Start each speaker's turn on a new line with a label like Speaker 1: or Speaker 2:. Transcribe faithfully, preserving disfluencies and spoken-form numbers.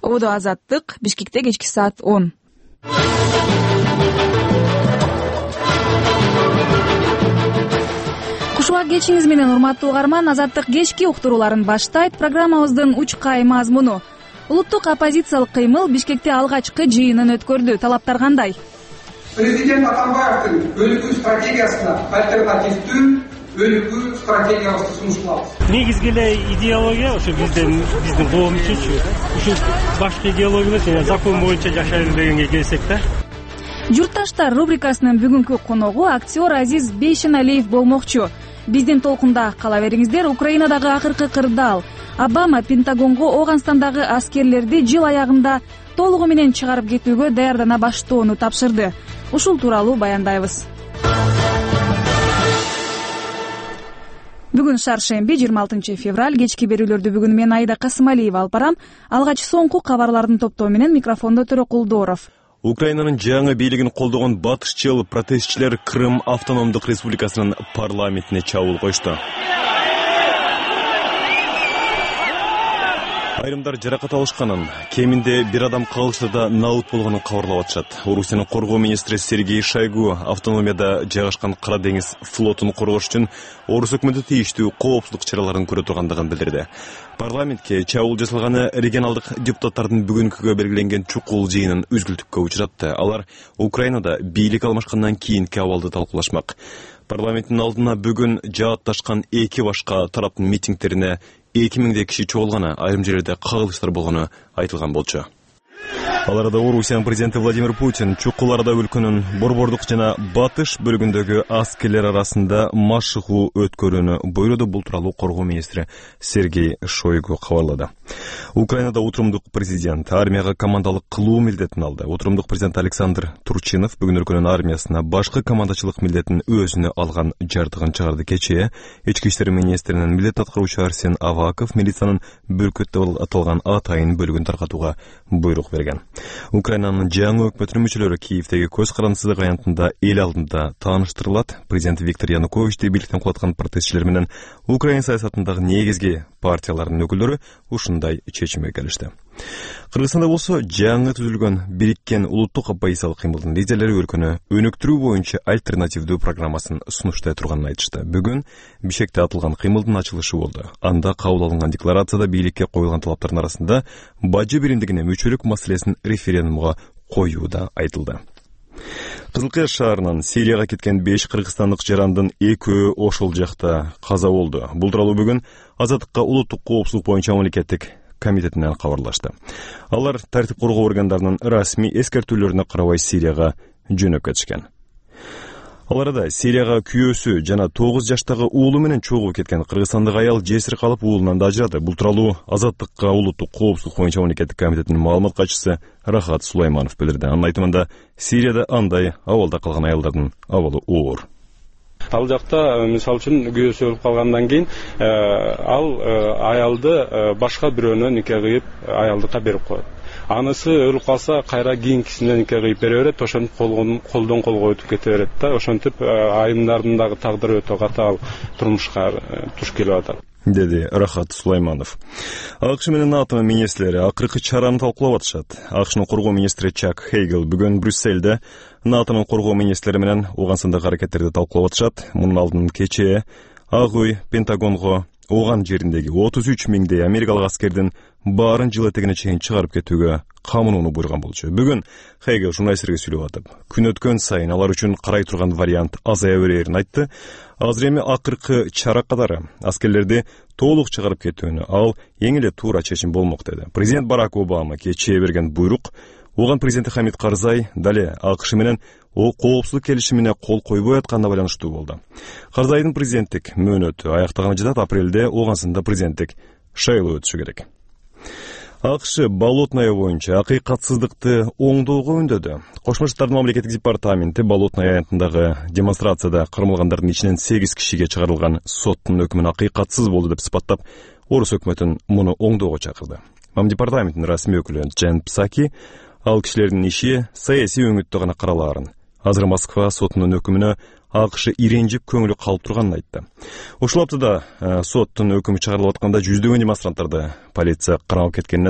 Speaker 1: Ободо Азаттык, Бишкекте кечки саат он. Кушуа кечиңиз менен урматтуу угарман, Азаттык кечки уктурууларын баштайт. Программабыздын учкай мазмуну: улуттук оппозициялык кыймыл Бишкекте алгачкы жыйынын өткөрдү. Талаптар кандай?
Speaker 2: Президент Атамбаевдин өлүкүү стратегиясына альтернативдүү өлүкүү стратегиябызды сунушталабыз.
Speaker 3: Негизги эле идеология ошо биздин биздин коом үчүнчү ушу башкы идеология эмес, закон боюнча жашайлы дегенге келсек да.
Speaker 1: Журтташтар рубрикасынын бүгүнкү коногу актер Азиз Бейшеналиев болмокчу. Биздин толкунда кала бериңиздер. Украинадагы акыркы кырдаал. Обама Пентагонго Ооганстандагы аскерлерди жыл аягында толугу менен чыгарып кетүүгө даярдана баштоону тапшырды. Ушул тууралуу баяндайбыз. Бүгүн шаршемби, жыйырма алтынчы февраль. Кечки берүүлөрдү бүгүн мен Айда Касымалиева алып барам. Алгач соңку кабарлардын топтоо менен микрофондо Төрөкулдоров.
Speaker 4: Украинанын жаңы бийлигин колдогон батышчыл протестчилер Крым автономдук республикасынын парламентине чабуул кошту. Айрымдар жаракат алышканын, кеминде бир адам калышта наут болгонун кабарлап атышат. Орусиянын коргоо министри Сергей Шойгу автономияда жайгашкан Кара деңиз флотун коргош үчүн Орус өкмөтү тийиштүү коопсуздук чараларын көрө тургандыгын билдирди. Парламентке чабуул жасалганы регионалдык депутаттардын бүгүнкүгө белгиленген чукул жыйынын үзгүлтүккө учуратты. Алар Украинада бийлик алмашкандан кийинки абалды талкуулашмак. Парламенттин алдына бүгүн жаатташкан эки башка тараптын митингдерине эки миңдей киши чогулганы, айрым жерлерде кагылыштар болгону айтылган болчу. Аларда Орусиянын президенти Владимир Путин чукул арада өлкөнүн борбордук жана батыш бөлүгүндөгү аскерлер арасында машыгуу өткөрүүнү буйруду. Бул тууралуу коргоо министри Сергей Шойгу кабарлады. Украинада отурумдук президент армияга командалык кылуу милдетин алды. Отурумдук президент Александр Турчинов бүгүн өлкөнүн армиясына башкы командачылык милдетин өзүнө алган жардыгын чыгарды. Кечээ ички иштер министринин милдет аткаруучу Арсен Аваков милициянын Бүркөт деп аталган атайын бөлүгүн таркатууга буйрук берген. Украинанын жаңы өкмөтүнүн мүчөлөрү Киевдеги көз карандысыздык аянтында эл алдында тааныштырылат. Президент Виктор Януковичти бийликтен кулаткан протестчилер менен Украина саясатындагы негизги партиялардын өкүлдөрү ушундай чечимге келишти. Кыргызстанда болсо жаңы түзүлгөн бириккен улуттук оппозициялык кыймылдын лидерлери өлкөнү өнүктүрүү боюнча альтернативдүү программасын сунуштай турганын айтышты. Бүгүн Бишкекте атылган кыймылдын ачылышы болду. Анда кабыл алынган декларацияда бийликке коюлган талаптардын арасында бажы биримдигине мүчөлүк маселесин референдумга коюу да айтылды. Кызылкая шаарынан Сирияга кеткен беш кыргызстандык жарандын экөө ошол жакта каза болду. Бул тууралуу бүгүн Азаттыкка улуттук коопсуздук боюнча мамлекеттик комитетинен кабарлашты. Алар тартип коргоо органдарынын расмий эскертүүлөрүнө карабай Сирияга жөнөп кетишкен. Аларда Сирияга күйөөсү жана тогуз жаштагы уулу менен чогуу кеткен кыргызстандык аял жесир калып уулунан да ажырады. Бул тууралуу Азаттыкка улуттук коопсуздук боюнча мамлекеттик комитетинин маалымат катчысы Рахат Сулайманов билдирди. Анын айтымында Сирияда андай абалда калган аялдардын абалы оор.
Speaker 5: Ал жакта мисалы үчүн күйөөсү өлүп калгандан кийин ал аялды башка бирөөнө нике кыйып аялдыкка берип коет. Анысы өлүп калса кайра кийинкисине нике кыйып бере берет, ошентип колдон колго өтүп кете берет да. Ошентип айымдардын дагы тагдыры өтө катаал турмушка туш келип атат,
Speaker 4: деди Рахат Сулайманов. АКШ менен НАТО министрлери акыркы чараны талкуулап атышат. АКШнын коргоо министри Чак Хейгел бүгүн Брюссельде НАТОнун коргоо министрлери менен Ооганстандагы аракеттерди талкуулап атышат. Мунун алдын кечээ Ак үй Пентагонго Ооган жериндеги отуз үч миңдей америкалык аскердин баарын жыл этегине чейин чыгарып кетүүгө камынууну буйруган болчу. Бүгүн Хейгел журналисттерге сүйлөп атып, күн өткөн сайын алар үчүн карай турган вариант азая берерин айтты. Азыр эми акыркы чара катары аскерлерди толук чыгарып кетүүнү ал эң эле туура чечим болмок деди. Президент Барак Обама кечээ берген буйрук Ооган президенти Хамид Карзай дале АКШ менен о коопсуздук келишимине кол койбой атканына байланыштуу болду. Карзайдын президенттик мөөнөтү аяктаганы жатат. Апрелде Ооганстанда президенттик шайлоо өтүшү керек. АКШ Болотное боюнча акыйкатсыздыкты оңдоого үндөдү. Кошмо Штаттардын мамлекеттик департаменти Болотное аянтындагы демонстрацияда кармалгандардын ичинен сегиз кишиге чыгарылган соттун өкүмүн акыйкатсыз болду деп сыпаттап, Орус өкмөтүн муну оңдоого чакырды. Мамдепартаментинин расмий өкүлү Джен Псаки ал кишилердин иши саясий өңүттө гана каралаарын, азыр Москва сотунун өкүмүнө АКШ иренжип көңүлү калып турганын айтты. Ушул аптада соттун өкүмү чыгарылып атканда жүздөгөн демонстранттарды полиция кармап кеткенине